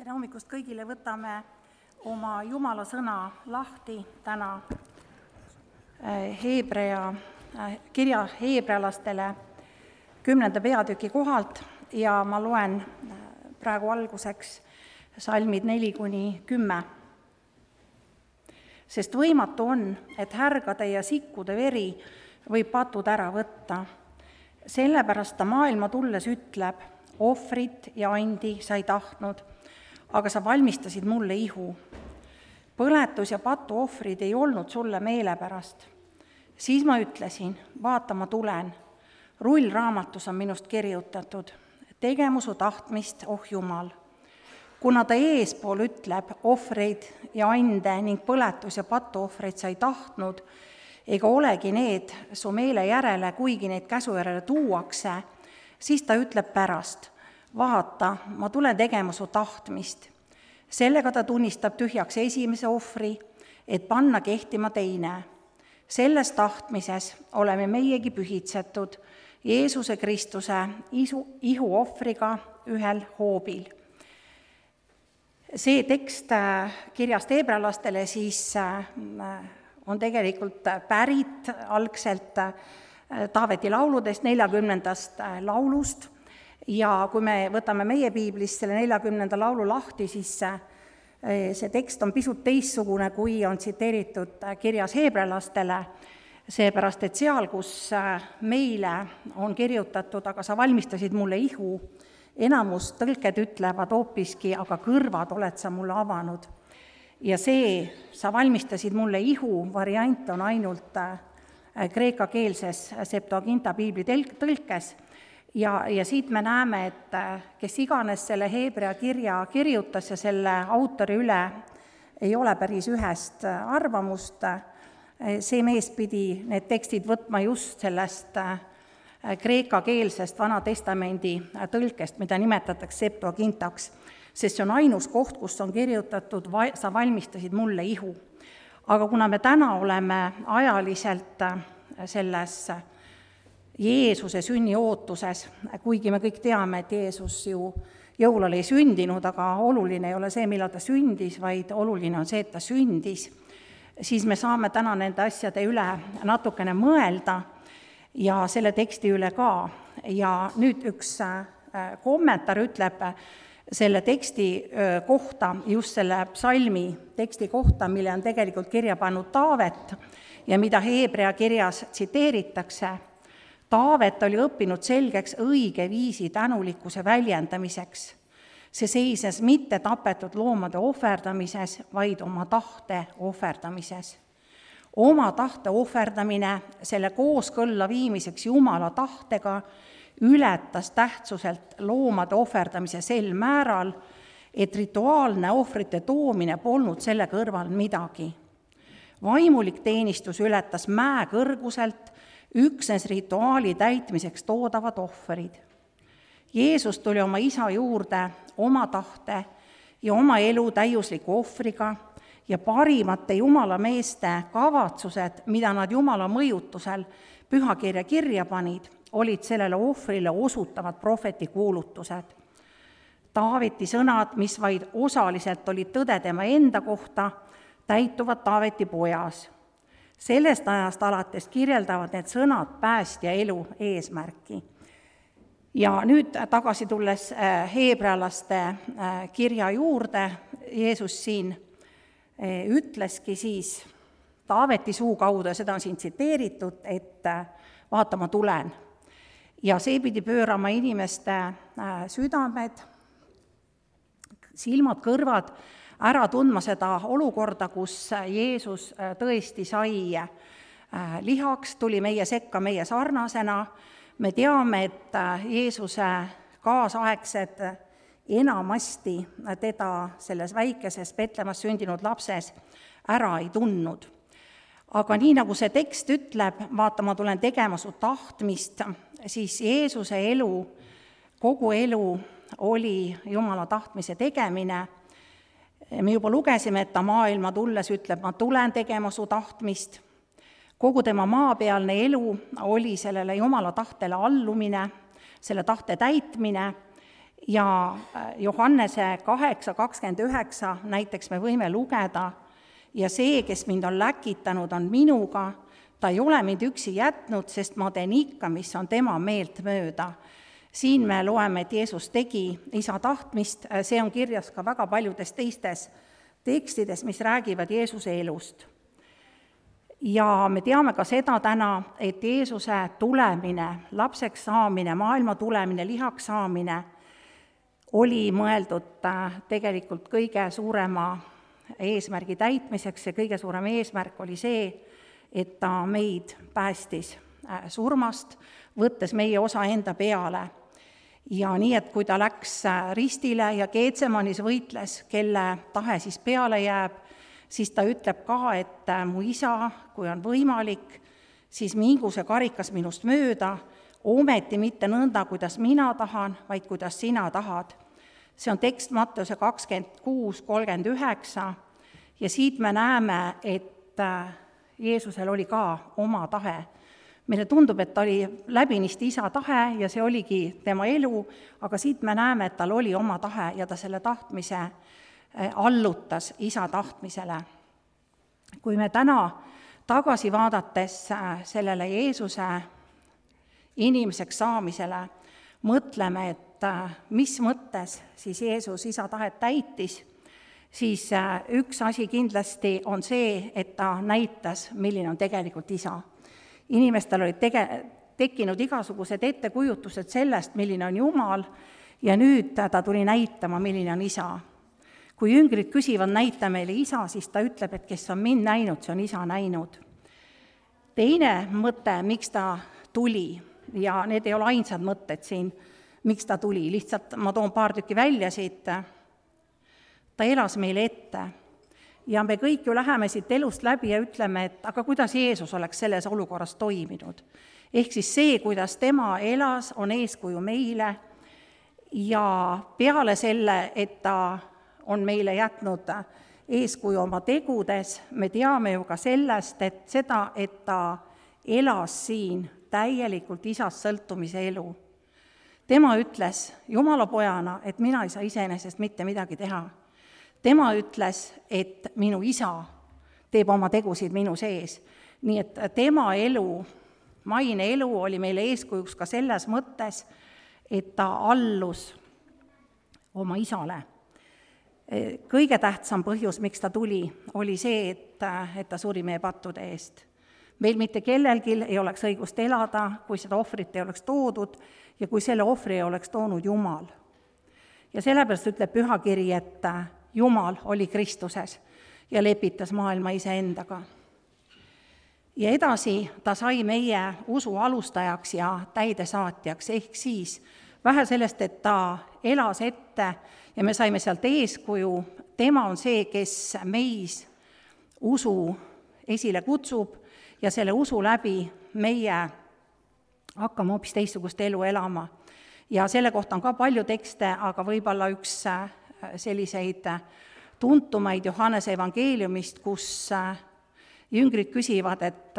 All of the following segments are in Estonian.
Tere hommikust kõigile, võtame oma Jumala sõna lahti täna kirja heebrealastele 10. peatüki kohalt ja ma loen praegu alguseks salmid 4-10. Sest võimatu on, et härgade ja sikkude veri võib patud ära võtta. Sellepärast ta maailma tulles ütleb, ohvrit ja andi sa ei tahtnud, aga sa valmistasid mulle ihu. Põletus ja patu ohvrid ei olnud sulle meelepärast. Siis ma ütlesin, vaata, ma tulen. Rullraamatus on minust kirjutatud. Tegemu su tahtmist, oh Jumal. Kuna ta eespool ütleb, ohvreid ja ande ning põletus ja patu ohvreid sa ei tahtnud, ega olegi need su meele järele, kuigi neid käsu järele tuuakse, siis ta ütleb pärast, vaata, ma tulen tegema su tahtmist. Sellega ta tunnistab tühjaks esimese ohvri, et panna kehtima teine. Selles tahtmises oleme meiegi pühitsetud Jeesuse Kristuse ihu ohvriga ühel hoobil. See tekst kirjast heebrealastele siis on tegelikult pärit algselt Taaveti lauludest, 40. laulust, ja kui me võtame meie piiblist selle 40. laulu lahti, siis see tekst on pisut teistsugune, kui on tsiteeritud kirjas heebrealastele, seepärast et seal, kus meile on kirjutatud, aga sa valmistasid mulle ihu, enamus tõlked ütlevad hoopiski, aga kõrvad oled sa mulle avanud. Ja see, sa valmistasid mulle ihu, variant on ainult kreekakeelses Septuaginta piibli tõlkes. Ja siit me näeme, et kes iganes selle heebrea kirja kirjutas ja selle autori üle ei ole päris ühest arvamust, see mees pidi need tekstid võtma just sellest kreekakeelsest Vana Testamendi tõlkest, mida nimetatakse Septuagintaks, sest see on ainus koht, kus on kirjutatud, sa valmistasid mulle ihu. Aga kuna me täna oleme ajaliselt selles Jeesuse sünni ootuses, kuigi me kõik teame, et Jeesus ju jõulal ei sündinud, aga oluline ei ole see, millal ta sündis, vaid oluline on see, et ta sündis, siis me saame täna nende asjade üle natukene mõelda ja selle teksti üle ka. Ja nüüd üks kommentaar ütleb selle teksti kohta, just selle psalmi teksti kohta, mille on tegelikult kirja pannud Taavet ja mida heebrea kirjas tsiteeritakse. Taavet oli õppinud selgeks õige viisi tänulikkuse väljendamiseks. See seises mitte tapetud loomade ohverdamises, vaid oma tahte ohverdamises. Oma tahte ohverdamine selle kooskõlla viimiseks Jumala tahtega ületas tähtsuselt loomade ohverdamise sel määral, et rituaalne ohvrite toomine polnud selle kõrval midagi. Vaimulik teenistus ületas mäe kõrguselt üksnes rituaali täitmiseks toodavad ohverid. Jeesus tuli oma isa juurde oma tahte ja oma elu täiusliku ohvriga ja parimate Jumala meeste kavatsused, mida nad Jumala mõjutusel pühakirja kirja panid, olid sellele ohvrile osutavad prohveti kuulutused. Taaveti sõnad, mis vaid osaliselt olid tõde tema enda kohta, täituvad Taaveti pojas. Sellest ajast alates kirjeldavad need sõnad päästja elu eesmärki. Ja nüüd tagasi tulles heebrealaste kirja juurde, Jeesus siin ütleski siis Taaveti suu kaudu, ja seda on siin tsiteeritud, et vaata, ma tulen. Ja see pidi pöörama inimeste südamed, silmad, kõrvad, ära tundma seda olukorda, kus Jeesus tõesti sai lihaks, tuli meie sekka meie sarnasena. Me teame, et Jeesuse kaasaegsed enamasti teda selles väikeses Petlemas sündinud lapses ära ei tundnud. Aga nii nagu see tekst ütleb, vaata, ma tulen tegema su tahtmist, siis Jeesuse elu, kogu elu oli Jumala tahtmise tegemine. Me juba lugesime, et ta maailma tulles ütleb, ma tulen tegema su tahtmist. Kogu tema maapealne elu oli sellele Jumala tahtele allumine, selle tahte täitmine Ja Johannese 8:29 näiteks me võime lugeda, ja see, kes mind on läkitanud, on minuga, ta ei ole mind üksi jätnud, sest ma teen ikka, mis on tema meelt mööda. Siin me loeme, et Jeesus tegi isa tahtmist, see on kirjas ka väga paljudes teistes tekstides, mis räägivad Jeesuse elust. Ja me teame ka seda täna, et Jeesuse tulemine, lapseks saamine, maailma tulemine, lihaks saamine oli mõeldud tegelikult kõige suurema eesmärgi täitmiseks ja kõige suurem eesmärk oli see, et ta meid päästis surmast, võttes meie osa enda peale. Ja nii, et kui ta läks ristile ja Geetsemanis võitles, kelle tahe siis peale jääb, siis ta ütleb ka, et mu isa, kui on võimalik, siis mingu see karikas minust mööda, ometi mitte nõnda, kuidas mina tahan, vaid kuidas sina tahad. See on tekst Matteuse 26:39 ja siit me näeme, et Jeesusel oli ka oma tahe. Meile tundub, et ta oli läbinisti isa tahe ja see oligi tema elu, aga siit me näeme, et tal oli oma tahe ja ta selle tahtmise allutas isa tahtmisele. Kui me täna tagasi vaadates sellele Jeesuse inimeseks saamisele mõtleme, et mis mõttes siis Jeesus isa tahet täitis, siis üks asi kindlasti on see, et ta näitas, milline on tegelikult isa. Inimestel olid tekkinud igasugused ettekujutused sellest, milline on Jumal, ja nüüd ta tuli näitama, milline on isa. Kui jüngrid küsivad, näita meile isa, siis ta ütleb, et kes on mind näinud, see on isa näinud. Teine mõte, miks ta tuli, ja need ei ole ainsad mõtted siin, miks ta tuli, lihtsalt ma toon paar tükki välja siit. Ta elas meile ette ja me kõik ju läheme siit elust läbi ja ütleme, et aga kuidas Jeesus oleks selles olukorras toiminud. Ehk siis see, kuidas tema elas, on eeskuju meile ja peale selle, et ta on meile jätnud eeskuju oma tegudes, me teame ju ka sellest, et seda, et ta elas siin täielikult isast sõltumise elu. Tema ütles Jumala pojana, et mina ei saa iseenesest mitte midagi teha. Tema ütles, et minu isa teeb oma tegusid minu sees. Nii et tema elu, maine elu oli meile eeskujuks ka selles mõttes, et ta allus oma isale. Kõige tähtsam põhjus, miks ta tuli, oli see, et ta suri meie pattude eest. Meil mitte kellelgi ei oleks õigust elada, kui seda ohvrit ei oleks toodud ja kui selle ohvri ei oleks toonud Jumal. Ja sellepärast ütleb Pühakiri, et Jumal oli Kristuses ja lepitas maailma iseendaga. Ja edasi ta sai meie usu alustajaks ja täidesaatjaks, ehk siis vähe sellest, et ta elas ette ja me saime sealt eeskuju, tema on see, kes meis usu esile kutsub ja selle usu läbi meie hakkame hoopis teistsugust elu elama. Ja selle kohta on ka palju tekste, aga võib-olla üks selliseid tuntumaid Johannese evangeeliumist, kus jüngrid küsivad, et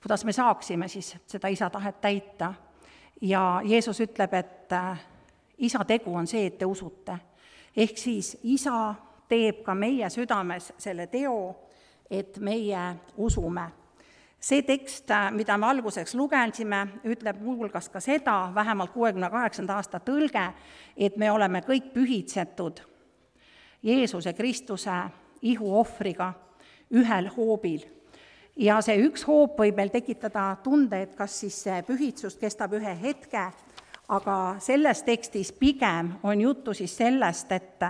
kuidas me saaksime siis seda isa tahet täita. Ja Jeesus ütleb, et isa tegu on see, et te usute. Ehk siis isa teeb ka meie südames selle teo, et meie usume. See tekst, mida me alguseks lugesime, ütleb muuhulgas ka seda, vähemalt 68. aasta tõlge, et me oleme kõik pühitsetud Jeesuse Kristuse ihuohvriga ühel hoobil. Ja see üks hoop võib meil tekitada tunde, et kas siis see pühitsus kestab ühe hetke, aga selles tekstis pigem on juttu siis sellest, et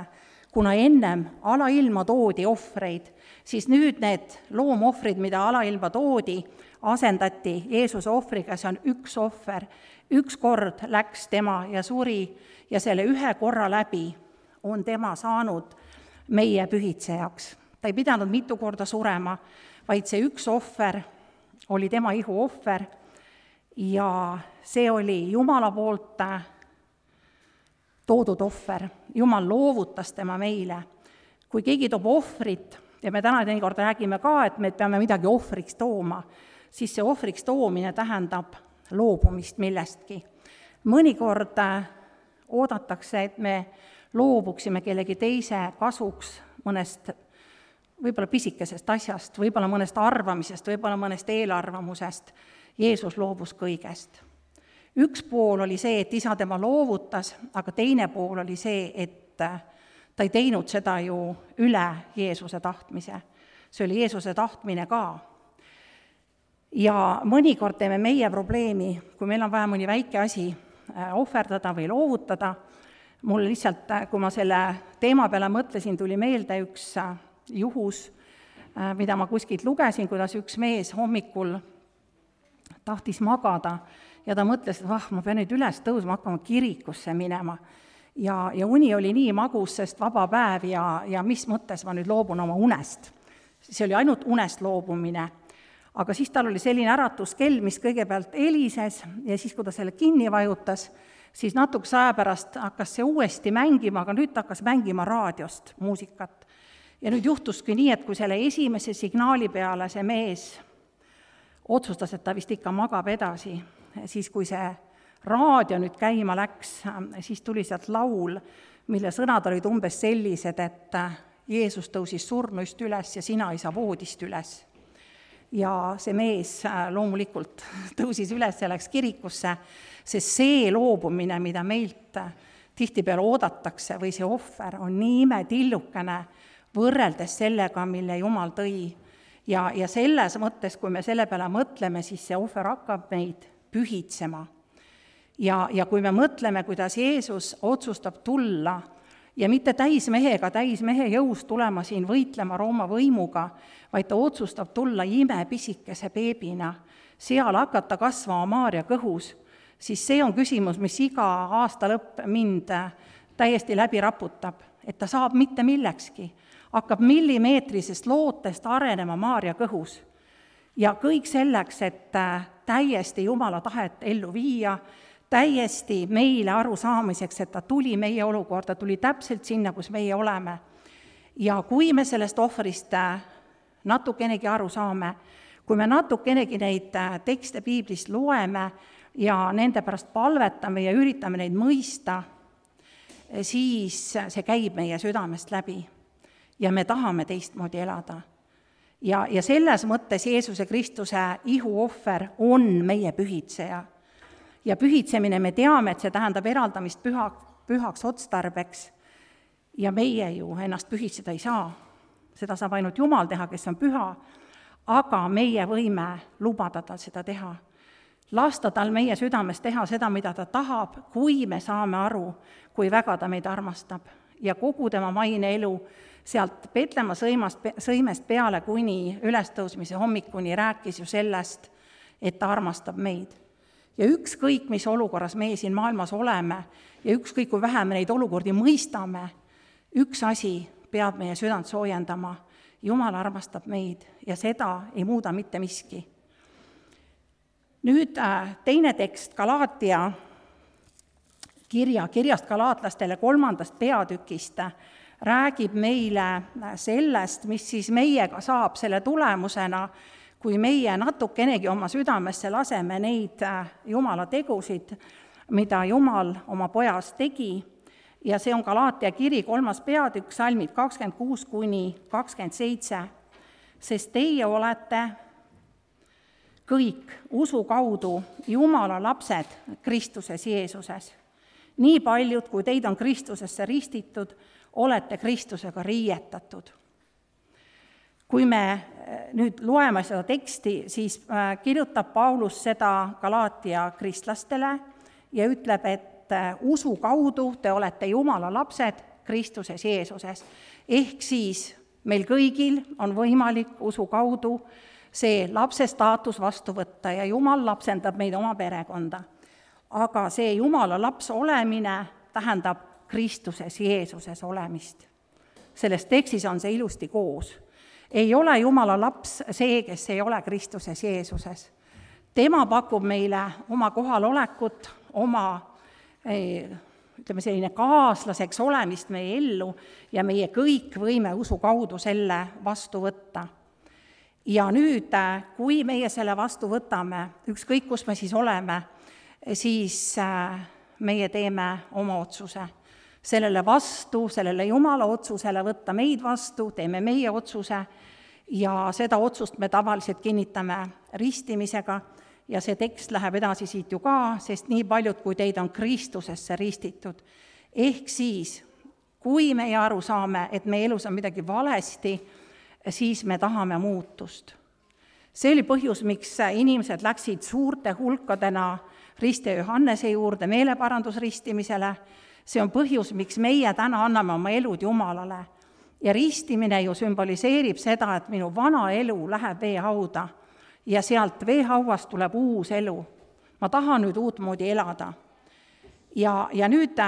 kuna ennem alailma toodi ohvreid, siis nüüd need loomohvrid, mida alailma toodi, asendati Jeesuse ohvriga, see on üks ohver. Üks kord läks tema ja suri ja selle ühe korra läbi on tema saanud meie pühitsejaks. Ta ei pidanud mitu korda surema, vaid see üks ohver oli tema ihu ohver ja see oli Jumala poolt toodud ohver. Jumal loovutas tema meile. Kui keegi toob ohvrit, ja me täna teinekord räägime ka, et me peame midagi ohvriks tooma, siis see ohvriks toomine tähendab loobumist millestki. Mõnikord oodatakse, et me loobuksime kellegi teise kasuks mõnest võib-olla pisikesest asjast, võib-olla mõnest arvamisest, võib-olla mõnest eelarvamusest. Jeesus loobus kõigest. Üks pool oli see, et isa tema loovutas, aga teine pool oli see, et ta ei teinud seda ju üle Jeesuse tahtmise. See oli Jeesuse tahtmine ka. Ja mõnikord teeme meie probleemi, kui meil on vaja mõni väike asi ohverdada või loovutada. Mul lihtsalt, kui ma selle teema peale mõtlesin, tuli meelde üks juhus, mida ma kuskilt lugesin, kuidas üks mees hommikul tahtis magada ja ta mõtles, et ma pean nüüd üles tõusma, hakkama kirikusse minema. Ja uni oli nii magus, sest vaba päev ja mis mõttes ma nüüd loobun oma unest. See oli ainult unest loobumine. Aga siis tal oli selline äratuskell, mis kõigepealt helises ja siis, kui ta selle kinni vajutas, siis natukese aja pärast hakkas see uuesti mängima, aga nüüd ta hakkas mängima raadiost muusikat. Ja nüüd juhtuski nii, et kui selle esimese signaali peale see mees otsustas, et ta vist ikka magab edasi, siis kui see raadio nüüd käima läks, siis tuli sealt laul, mille sõnad olid umbes sellised, et Jeesus tõusis surnuist üles ja sina ei saa voodist üles. Ja see mees loomulikult tõusis üles ja läks kirikusse, sest see loobumine, mida meilt tihtipeale oodatakse või see ohver on nii imetillukene võrreldes sellega, mille Jumal tõi. Ja selles mõttes, kui me selle peale mõtleme, siis see ohver hakkab meid pühitsema. Ja kui me mõtleme, kuidas Jeesus otsustab tulla ja mitte täismehe jõus tulema siin võitlema Rooma võimuga, vaid ta otsustab tulla imepisikese beebina, seal hakata kasvama Maarja kõhus, siis see on küsimus, mis iga aasta lõpp mind täiesti läbi raputab, et ta saab mitte millekski, hakkab millimeetrisest lootest arenema Maarja kõhus. Ja kõik selleks, et täiesti Jumala tahet ellu viia, täiesti meile aru saamiseks, et ta tuli meie olukorda, tuli täpselt sinna, kus meie oleme. Ja kui me sellest ohvrist natukenegi aru saame, kui me natukenegi neid tekste piiblist loeme ja nende pärast palvetame ja üritame neid mõista, siis see käib meie südamest läbi ja me tahame teistmoodi elada. Ja selles mõttes Jeesuse Kristuse ihuohver on meie pühitseja. Ja pühitsemine me teame, et see tähendab eraldamist pühaks otstarbeks ja meie ju ennast pühitseda ei saa. Seda saab ainult Jumal teha, kes on püha, aga meie võime lubada tal seda teha. Lasta tal meie südames teha seda, mida ta tahab, kui me saame aru, kui väga ta meid armastab. Ja kogu tema maine elu sealt Petlemma sõimest peale kuni ülestõusmise hommikuni rääkis ju sellest, et ta armastab meid. Ja ükskõik, mis olukorras meie siin maailmas oleme ja ükskõik, kui vähe me neid olukordi mõistame, üks asi peab meie südant soojendama. Jumal armastab meid ja seda ei muuda mitte miski. Nüüd teine tekst Galaatia kirjast galaatlastele 3. peatükist räägib meile sellest, mis siis meiega saab selle tulemusena, kui meie natukenegi oma südamesse laseme neid Jumala tegusid, mida Jumal oma pojas tegi. Ja see on Galaatia kiri 3. peatükk, salmid 26-27. Sest teie olete kõik usu kaudu Jumala lapsed Kristuses Jeesuses. Nii paljud, kui teid on Kristusesse ristitud, olete Kristusega riietatud. Kui me nüüd loeme seda teksti, siis kirjutab Paulus seda Galaatia kristlastele ja ütleb, et usu kaudu te olete Jumala lapsed Kristuses Jeesuses. Ehk siis meil kõigil on võimalik usu kaudu see lapse staatus vastu võtta ja Jumal lapsendab meid oma perekonda. Aga see Jumala laps olemine tähendab Kristuses Jeesuses olemist. Selles tekstis on see ilusti koos. Ei ole Jumala laps see, kes ei ole Kristuses Jeesuses. Tema pakub meile oma kohalolekut, oma selline kaaslaseks olemist meie ellu ja meie kõik võime usu kaudu selle vastu võtta. Ja nüüd, kui meie selle vastu võtame, ükskõik kus me siis oleme, siis meie teeme oma otsuse. Sellele vastu, sellele Jumala otsusele võtta meid vastu, teeme meie otsuse ja seda otsust me tavaliselt kinnitame ristimisega ja see tekst läheb edasi siit ju ka, sest nii paljud, kui teid on Kristusesse ristitud. Ehk siis, kui meie aru saame, et meie elus on midagi valesti, siis me tahame muutust. See oli põhjus, miks inimesed läksid suurte hulkadena Risti ja Johannese juurde meeleparandusristimisele. See on põhjus, miks meie täna anname oma elud Jumalale. Ja ristimine ju sümboliseerib seda, et minu vana elu läheb veehauda ja sealt veehauast tuleb uus elu. Ma tahan nüüd uutmoodi elada. Ja nüüd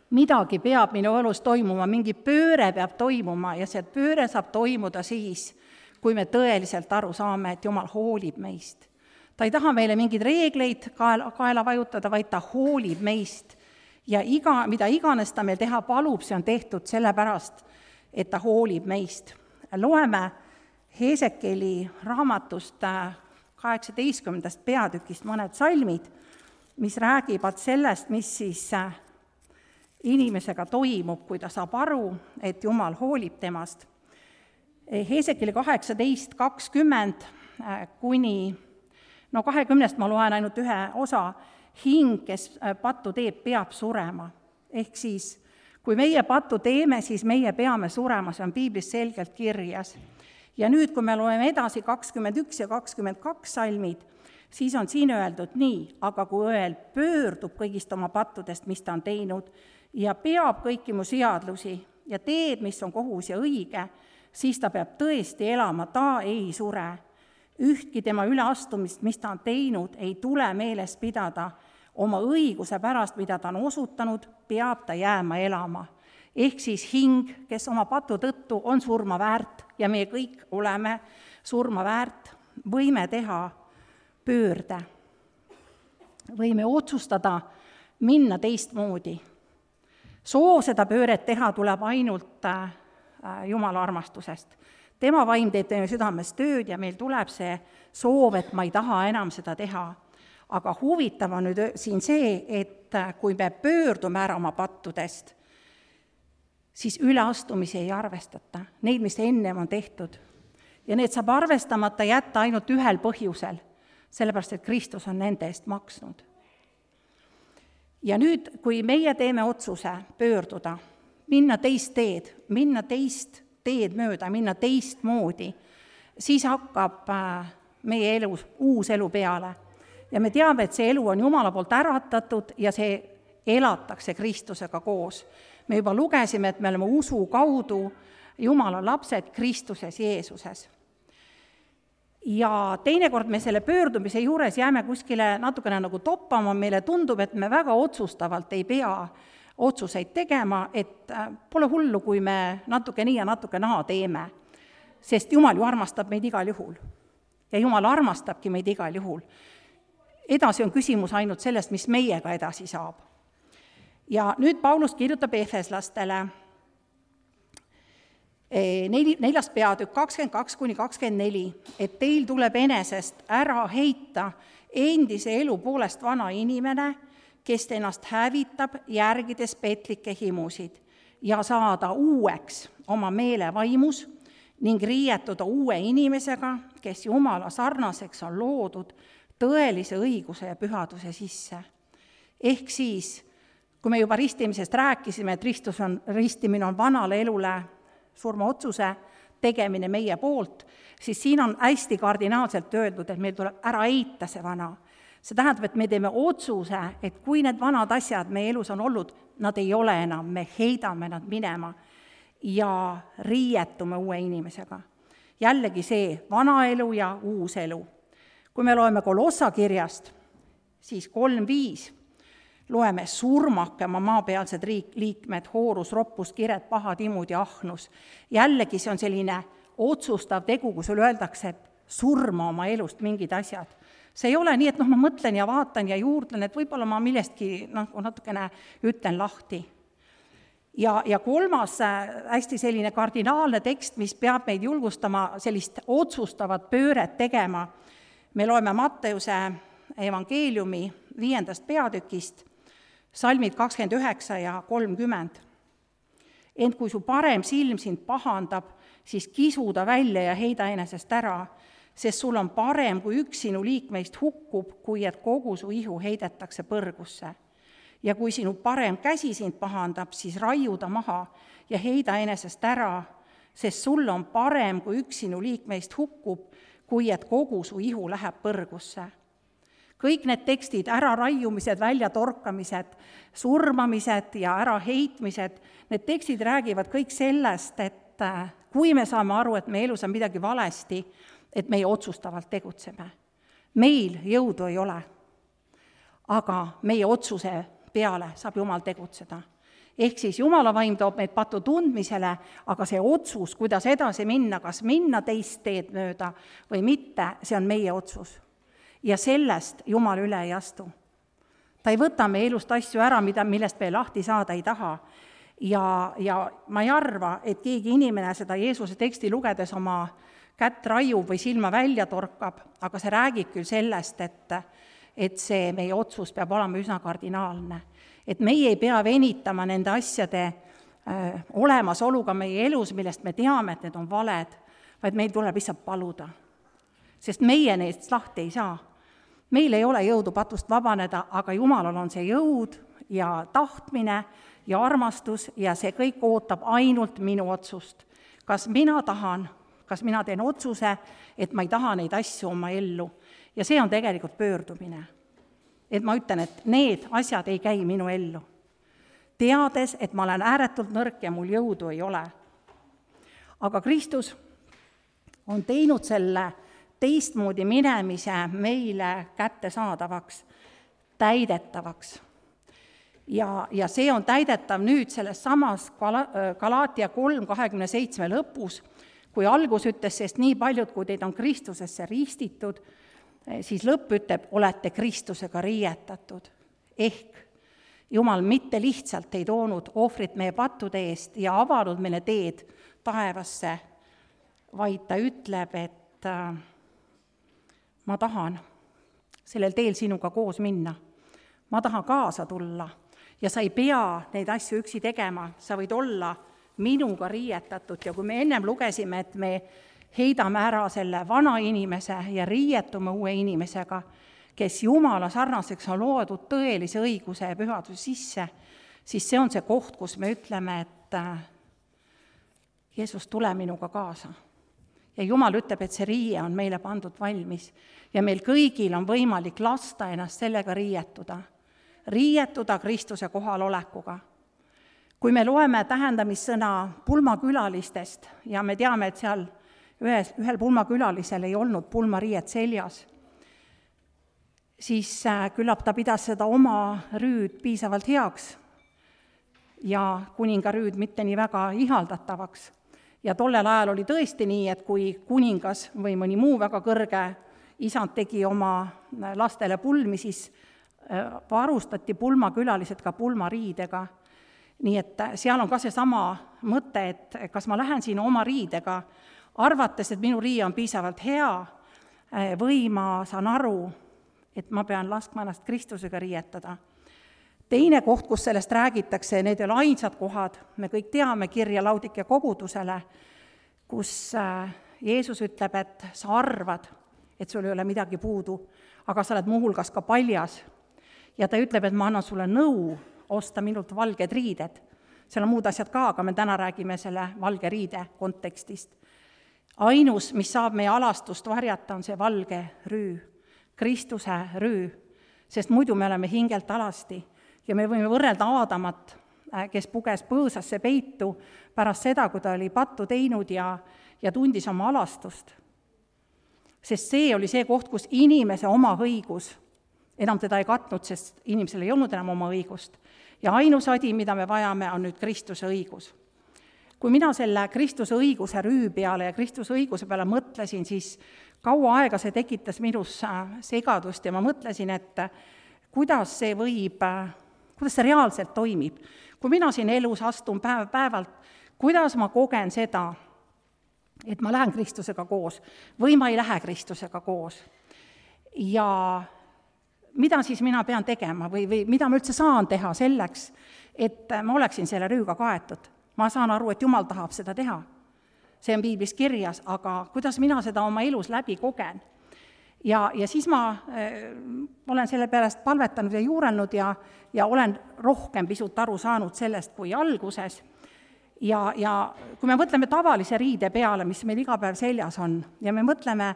midagi peab minu elus toimuma, mingi pööre peab toimuma ja see pööre saab toimuda siis, kui me tõeliselt aru saame, et Jumal hoolib meist. Ta ei taha meile mingeid reegleid kaela vajutada, vaid ta hoolib meist. Ja mida iganes ta meil teha palub, see on tehtud sellepärast, et ta hoolib meist. Loeme Heesekeli raamatust 18. peatükist mõned salmid, mis räägivad sellest, mis siis inimesega toimub, kui ta saab aru, et Jumal hoolib temast. Heesekeli 18:20 kuni 20 ma loen ainult ühe osa, hing, kes pattu teeb, peab surema. Ehk siis, kui meie pattu teeme, siis meie peame surema, see on piiblis selgelt kirjas. Ja nüüd, kui me loeme edasi 21 ja 22 salmid, siis on siin öeldud nii, aga kui õel pöördub kõigist oma pattudest, mis ta on teinud, ja peab kõiki mu seadlusi ja teeb, mis on kohus ja õige, siis ta peab tõesti elama, ta ei sure. Ühtki tema üleastumist, mis ta on teinud, ei tule meeles pidada. Oma õiguse pärast, mida ta on osutanud, peab ta jääma elama. Ehk siis hing, kes oma patu tõttu on surma väärt ja me kõik oleme surma väärt, võime teha pöörde. Võime otsustada minna teistmoodi. Soov seda pööret teha tuleb ainult Jumala armastusest. Tema vaim teeb teeme südames tööd ja meil tuleb see soov, et ma ei taha enam seda teha. Aga huvitav on nüüd siin see, et kui me pöördume ära oma pattudest, siis üleastumisi ei arvestata, neid, mis ennem on tehtud. Ja need saab arvestamata jätta ainult ühel põhjusel, sellepärast, et Kristus on nende eest maksnud. Ja nüüd, kui meie teeme otsuse pöörduda, minna teist teed mööda, minna teistmoodi, siis hakkab meie elus uus elu peale. Ja me teame, et see elu on Jumala poolt äratatud ja see elatakse Kristusega koos. Me juba lugesime, et me oleme usu kaudu Jumala lapsed Kristuses Jeesuses. Ja teinekord me selle pöördumise juures jääme kuskile natukene nagu toppama, meile tundub, et me väga otsustavalt ei pea otsuseid tegema, et pole hullu, kui me natuke nii ja natuke naa teeme, sest Jumal ju armastab meid igal juhul. Ja Jumal armastabki meid igal juhul. Edasi on küsimus ainult sellest, mis meiega edasi saab. Ja nüüd Paulus kirjutab efeslastele 4. peatükk 22-24, et teil tuleb enesest ära heita endise elu poolest vana inimene, kes ennast hävitab, järgides petlikke himusid ja saada uueks oma meele vaimus ning riietuda uue inimesega, kes Jumala sarnaseks on loodud tõelise õiguse ja pühaduse sisse. Ehk siis, kui me juba ristimisest rääkisime, et ristimine on vanale elule surmaotsuse tegemine meie poolt, siis siin on hästi kardinaalselt öeldud, et meil tuleb ära heita see vana. See tähendab, et me teeme otsuse, et kui need vanad asjad meie elus on olnud, nad ei ole enam, me heidame nad minema ja riietume uue inimesega. Jällegi see vana elu ja uus elu. Kui me loeme Kolossa kirjast, siis 3.5 loeme surmake oma maapealsed liikmed, hoorus, roppus, kired, pahad, imud ja ahnus. Jällegi see on selline otsustav tegu, kui sulle öeldakse, et surma oma elust mingid asjad. See ei ole nii, et ma mõtlen ja vaatan ja juurdlen, et võib-olla ma millestki natukene ütlen lahti. Ja kolmas hästi selline kardinaalne tekst, mis peab meid julgustama sellist otsustavat pööret tegema. Me loeme Matteuse evangeeliumi 5. peatükist Salmid 29 ja 30. Ent kui su parem silm sind pahandab, siis kisu ta välja ja heida enesest ära, sest sul on parem, kui üks sinu liikmeist hukkub, kui et kogu su ihu heidetakse põrgusse. Ja kui sinu parem käsi sind pahandab, siis raiu ta maha ja heida enesest ära, sest sul on parem, kui üks sinu liikmeist hukkub, kui et kogu su ihu läheb põrgusse. Kõik need tekstid, äraraiumised, väljatorkamised, surmamised ja äraheitmised, need tekstid räägivad kõik sellest, et kui me saame aru, et meie elus on midagi valesti, et meie otsustavalt tegutseme. Meil jõudu ei ole, aga meie otsuse peale saab Jumal tegutseda. Ehk siis Jumala vaim toob meid patu tundmisele, aga see otsus, kuidas edasi minna, kas minna teist teed mööda või mitte, see on meie otsus. Ja sellest Jumal üle ei astu. Ta ei võta meie elust asju ära, millest me lahti saada ei taha. Ja ma ei arva, et keegi inimene seda Jeesuse teksti lugedes oma kätt raiub või silma välja torkab, aga see räägib küll sellest, et see meie otsus peab olema üsna kardinaalne. Et meie ei pea venitama nende asjade olemasoluga meie elus, millest me teame, et need on valed, vaid meil tuleb lihtsalt paluda. Sest meie neist lahti ei saa. Meil ei ole jõudu patust vabaneda, aga Jumalal on see jõud ja tahtmine ja armastus ja see kõik ootab ainult minu otsust. Kas mina tahan, kas mina teen otsuse, et ma ei taha neid asju oma ellu. Ja see on tegelikult pöördumine. Et ma ütlen, et need asjad ei käi minu ellu. Teades, et ma olen ääretult nõrk ja mul jõudu ei ole. Aga Kristus on teinud selle teistmoodi minemise meile kättesaadavaks, täidetavaks. Ja see on täidetav nüüd selles samas Galaatia 3:27 lõpus, kui algus ütles, sest nii paljud, kui teid on Kristusesse ristitud, siis lõpp ütleb, olete Kristusega riietatud. Ehk Jumal mitte lihtsalt ei toonud ohvrit meie pattude eest ja avanud meile teed taevasse, vaid ta ütleb, et ma tahan sellel teel sinuga koos minna. Ma tahan kaasa tulla ja sa ei pea neid asju üksi tegema, sa võid olla minuga riietatud ja kui me ennem lugesime, et me heidame ära selle vana inimese ja riietume uue inimesega, kes Jumala sarnaseks on loodud tõelise õiguse ja pühaduse sisse, siis see on see koht, kus me ütleme, et Jeesus, tule minuga kaasa. Ja Jumal ütleb, et see riie on meile pandud valmis ja meil kõigil on võimalik lasta ennast sellega riietuda Kristuse kohalolekuga. Kui me loeme tähendamissõna pulmakülalistest ja me teame, et seal ühel pulmakülalisel ei olnud pulmariiet seljas, siis küllap ta pidas seda oma rüüd piisavalt heaks ja kuninga rüüd mitte nii väga ihaldatavaks. Ja tollel ajal oli tõesti nii, et kui kuningas või mõni muu väga kõrge isand tegi oma lastele pulmi, siis varustati pulmakülalised ka pulmariidega. Nii et seal on ka seesama mõte, et kas ma lähen siin oma riidega, arvates, et minu riie on piisavalt hea, või ma saan aru, et ma pean laskma ennast Kristusega riietada. Teine koht, kus sellest räägitakse, need ei ole ainsad kohad, me kõik teame kirja Laudikea kogudusele, kus Jeesus ütleb, et sa arvad, et sul ei ole midagi puudu, aga sa oled muuhulgas ka paljas. Ja ta ütleb, et ma annan sulle nõu osta minult valged riided. Seal on muud asjad ka, aga me täna räägime selle valge riide kontekstist. Ainus, mis saab meie alastust varjata, on see valge rüü, Kristuse rüü, sest muidu me oleme hingelt alasti. Ja me võime võrrelda Aadamat, kes puges põõsasse peitu pärast seda, kui ta oli pattu teinud ja tundis oma alastust. Sest see oli see koht, kus inimese oma õigus enam teda ei katnud, sest inimesel ei olnud enam oma õigust. Ja ainus adi, mida me vajame, on nüüd Kristuse õigus. Kui mina selle Kristuse õiguse rüü peale ja Kristuse õiguse peale mõtlesin, siis kaua aega see tekitas minus segadust ja ma mõtlesin, et kuidas see reaalselt toimib. Kui mina siin elus astun päev-päevalt, kuidas ma kogen seda, et ma lähen Kristusega koos või ma ei lähe Kristusega koos. Ja mida siis mina pean tegema või mida ma üldse saan teha selleks, et ma oleksin selle rüüga kaetud. Ma saan aru, et Jumal tahab seda teha. See on piiblis kirjas, aga kuidas mina seda oma elus läbi kogen? Ja siis ma olen selle pärast palvetanud ja juurelnud ja olen rohkem pisut aru saanud sellest kui alguses. Ja kui me mõtleme tavalise riide peale, mis meil iga päev seljas on, ja me mõtleme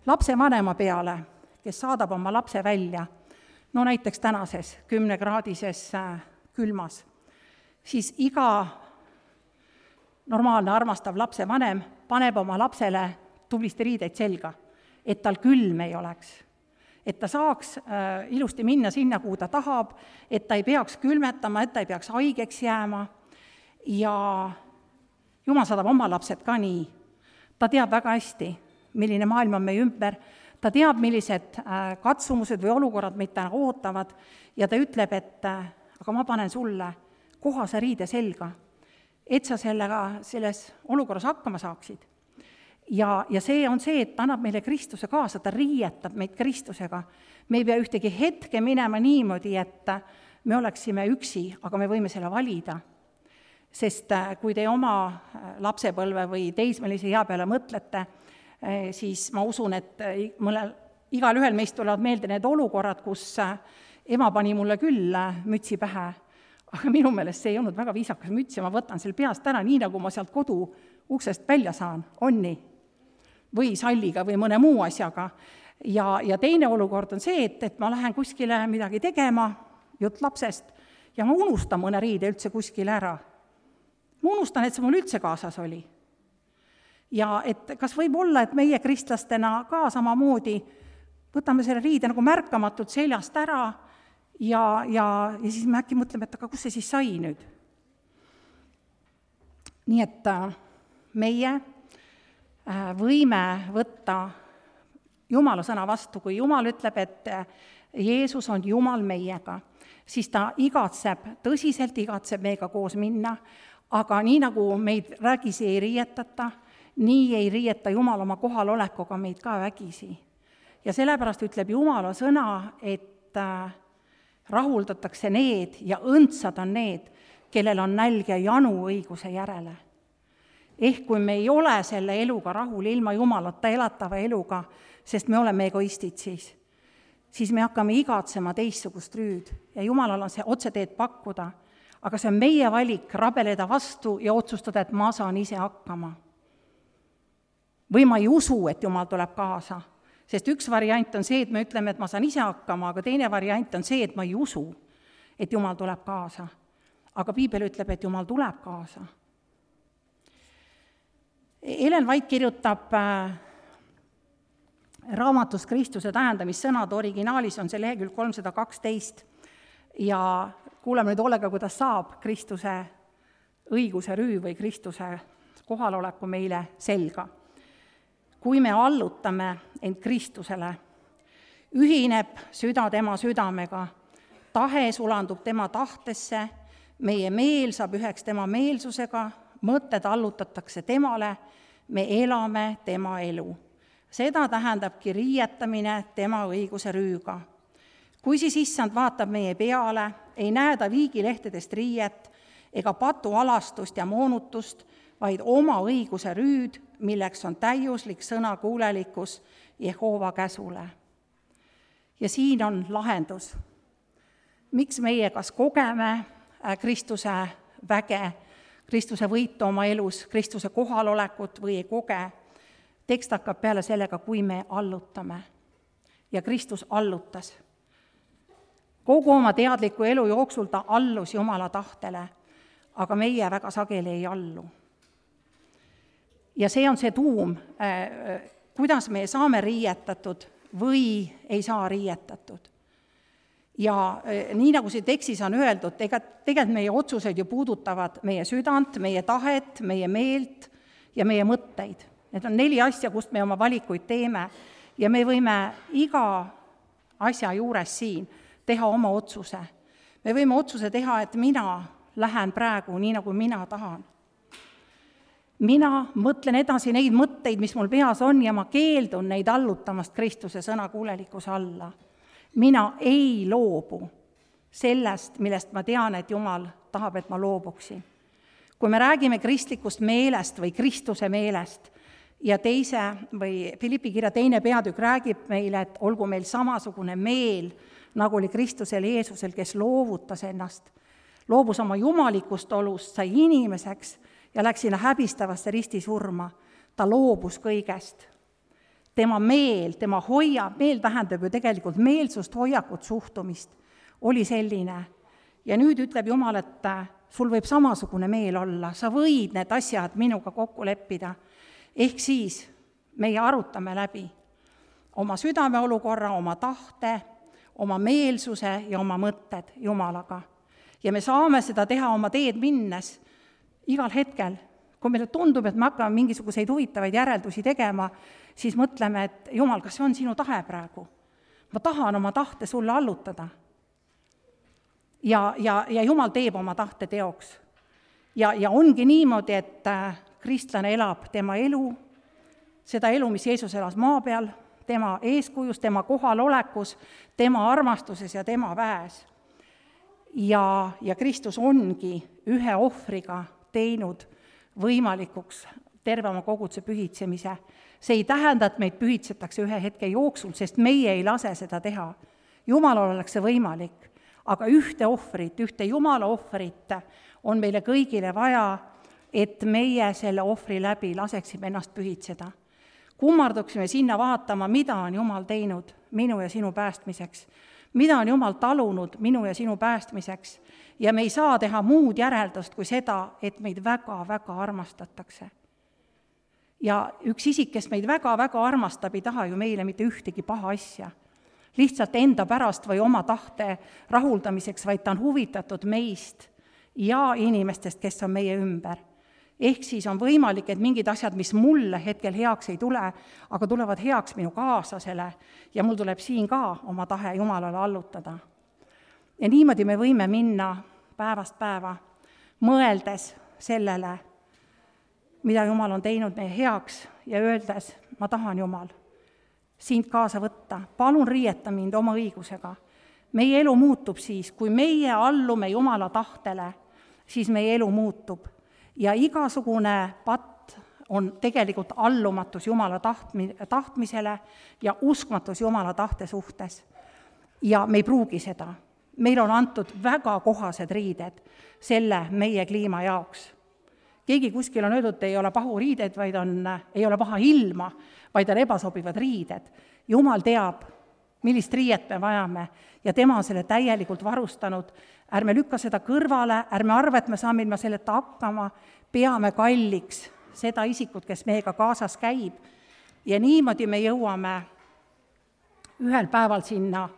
lapsevanema peale, kes saadab oma lapse välja, no näiteks tänases 10-kraadises külmas, siis iga normaalne armastav lapsevanem paneb oma lapsele tublisti riideid selga, et tal külm ei oleks, et ta saaks ilusti minna sinna, kuhu ta tahab, et ta ei peaks külmetama, et ta ei peaks haigeks jääma ja Jumal saadab oma lapsed ka nii. Ta teab väga hästi, milline maailm on meie ümber, ta teab, millised katsumused või olukorrad meid täna ootavad ja ta ütleb, et aga ma panen sulle kohase riide selga, et sa selles olukorras hakkama saaksid. Ja see on see, et ta annab meile Kristuse kaasa, ta riietab meid Kristusega. Me ei pea ühtegi hetke minema niimoodi, et me oleksime üksi, aga me võime selle valida. Sest kui te oma lapsepõlve või teismelise ea peale mõtlete, siis ma usun, et igal ühel meist tulevad meelde need olukorrad, kus ema pani mulle küll mütsi pähe, aga minu meelest see ei olnud väga viisakas müts ja ma võtan selle peast ära, nii nagu ma sealt kodu uksest välja saan, on nii? Või salliga või mõne muu asjaga. Ja teine olukord on see, et ma lähen kuskile midagi tegema, jutt lapsest, ja ma unustan mõne riide üldse kuskile ära. Ma unustan, et see mul üldse kaasas oli. Ja et kas võib olla, et meie kristlastena ka samamoodi võtame selle riide nagu märkamatult seljast ära ja siis me äkki mõtleme, et aga kus see siis sai nüüd? Nii et meie võime võtta Jumala sõna vastu, kui Jumal ütleb, et Jeesus on Jumal meiega, siis ta tõsiselt igatseb meiega koos minna, aga nii nagu meid vägisi ei riietata, nii ei riieta Jumal oma kohalolekuga meid ka vägisi. Ja sellepärast ütleb Jumala sõna, et rahuldatakse need ja õndsad on need, kellel on nälg ja janu õiguse järele. Ehk kui me ei ole selle eluga rahul ilma Jumalata elatava eluga, sest me oleme egoistid siis me hakkame igatsema teistsugust rüüd ja Jumalal on see otseteed pakkuda, aga see on meie valik rabeleda vastu ja otsustada, et ma saan ise hakkama. Või ma ei usu, et Jumal tuleb kaasa, sest üks variant on see, et me ütleme, et ma saan ise hakkama, aga teine variant on see, et ma ei usu, et Jumal tuleb kaasa. Aga Piibel ütleb, et Jumal tuleb kaasa. Ellen White kirjutab raamatus Kristuse tähendamissõnad, originaalis on see lehekülg 312 ja kuuleme nüüd hoolega, kuidas saab Kristuse õiguse rüü või Kristuse kohaloleku meile selga. Kui me allutame end Kristusele, ühineb süda tema südamega, tahe sulandub tema tahtesse, meie meel saab üheks tema meelsusega, mõtted allutatakse temale, me elame tema elu. Seda tähendabki riietamine tema õiguse rüüga. Kui siis issand vaatab meie peale, ei näe ta viigilehtedest riiet ega patu alastust ja moonutust, vaid oma õiguse rüüd, milleks on täiuslik sõnakuulelikkus Jehova käsule. Ja siin on lahendus. Miks meie kas kogeme Kristuse väge, Kristuse võitu oma elus, Kristuse kohalolekut või ei koge. Tekst hakkab peale sellega, kui me allutame. Ja Kristus allutas. Kogu oma teadliku elu jooksul ta allus Jumala tahtele, aga meie väga sageli ei allu. Ja see on see tuum, kuidas me saame riietatud või ei saa riietatud. Ja nii nagu see tekstis on öeldud, tegelikult meie otsused ju puudutavad meie südant, meie tahet, meie meelt ja meie mõtteid. Need on 4 asja, kust me oma valikuid teeme ja me võime iga asja juures siin teha oma otsuse. Me võime otsuse teha, et mina lähen praegu nii, nagu mina tahan. Mina mõtlen edasi neid mõtteid, mis mul peas on ja ma keeldun neid allutamast Kristuse sõnakuulelikkuse alla. mina ei loobu sellest, millest ma tean, et Jumal tahab, et ma loobuksin. Kui me räägime kristlikust meelest või Kristuse meelest ja Philippi kirja 2. peatükk räägib meile, et olgu meil samasugune meel, nagu oli Kristusel Jeesusel, kes loovutas ennast, loobus oma jumalikust olust, sai inimeseks ja läks sinna häbistavasse ristisurma. Ta loobus kõigest. Tema meel, meel tähendab ju tegelikult meelsust, hoiakut, suhtumist, oli selline. Ja nüüd ütleb Jumal, et sul võib samasugune meel olla, sa võid need asjad minuga kokku leppida. Ehk siis meie arutame läbi oma südameolukorra, oma tahte, oma meelsuse ja oma mõtted Jumalaga. Ja me saame seda teha oma teed minnes igal hetkel. Kui meile tundub, et me hakkame mingisuguseid huvitavaid järeldusi tegema, siis mõtleme, et Jumal, kas see on sinu tahe praegu? Ma tahan oma tahte sulle allutada. Ja Jumal teeb oma tahte teoks. Ja ongi niimoodi, et kristlane elab tema elu, seda elu, mis Jeesus elas maa peal, tema eeskujus, tema kohalolekus, tema armastuses ja tema väes. Ja Kristus ongi ühe ohvriga teinud võimalikuks terve oma koguduse pühitsemise. See ei tähenda, et meid pühitsetakse ühe hetke jooksul, sest meie ei lase seda teha. Jumalal oleks see võimalik, aga ühte Jumala ohvrit on meile kõigile vaja, et meie selle ohvri läbi laseksime ennast pühitseda. Kummarduksime sinna vaatama, mida on Jumal teinud minu ja sinu päästmiseks, mida on Jumal talunud minu ja sinu päästmiseks, ja me ei saa teha muud järeldust kui seda, et meid väga-väga armastatakse. Ja üks isik, kes meid väga-väga armastab, ei taha ju meile mitte ühtegi paha asja. Lihtsalt enda pärast või oma tahte rahuldamiseks, vaid ta on huvitatud meist ja inimestest, kes on meie ümber. Ehk siis on võimalik, et mingid asjad, mis mulle hetkel heaks ei tule, aga tulevad heaks minu kaaslasele ja mul tuleb siin ka oma tahe Jumalale allutada. Ja niimoodi me võime minna päevast päeva, mõeldes sellele, mida Jumal on teinud meie heaks ja öeldes, ma tahan Jumal sind kaasa võtta, palun riieta mind oma õigusega. Meie elu muutub siis, kui meie allume Jumala tahtele, siis meie elu muutub. Ja igasugune patt on tegelikult allumatus Jumala tahtmisele ja uskmatus Jumala tahte suhtes. Ja me ei pruugi seda. Meil on antud väga kohased riided selle meie kliima jaoks. Keegi kuskil on öeldud, et ei ole pahu riided, vaid ei ole paha ilma, vaid on ebasobivad riided. Jumal teab, millist riiet me vajame ja tema on selle täielikult varustanud. Ärme lükka seda kõrvale, ärme arva, et me saame ilma selleta hakkama, peame kalliks seda isikut, kes meiega kaasas käib. Ja niimoodi me jõuame ühel päeval sinna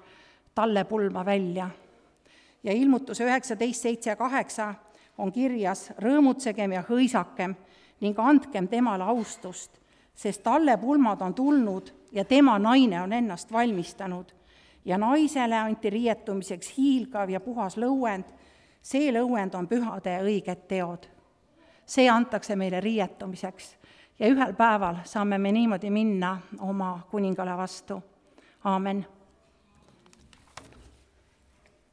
tallepulma välja. Ja ilmutuse 19:7-8 on kirjas, rõõmutsegem ja hõisakem ning andkem temale austust, sest tallepulmad on tulnud ja tema naine on ennast valmistanud. Ja naisele anti riietumiseks hiilgav ja puhas lõuend, see lõuend on pühade ja õiged teod. See antakse meile riietumiseks ja ühel päeval saame me niimoodi minna oma kuningale vastu. Aamen.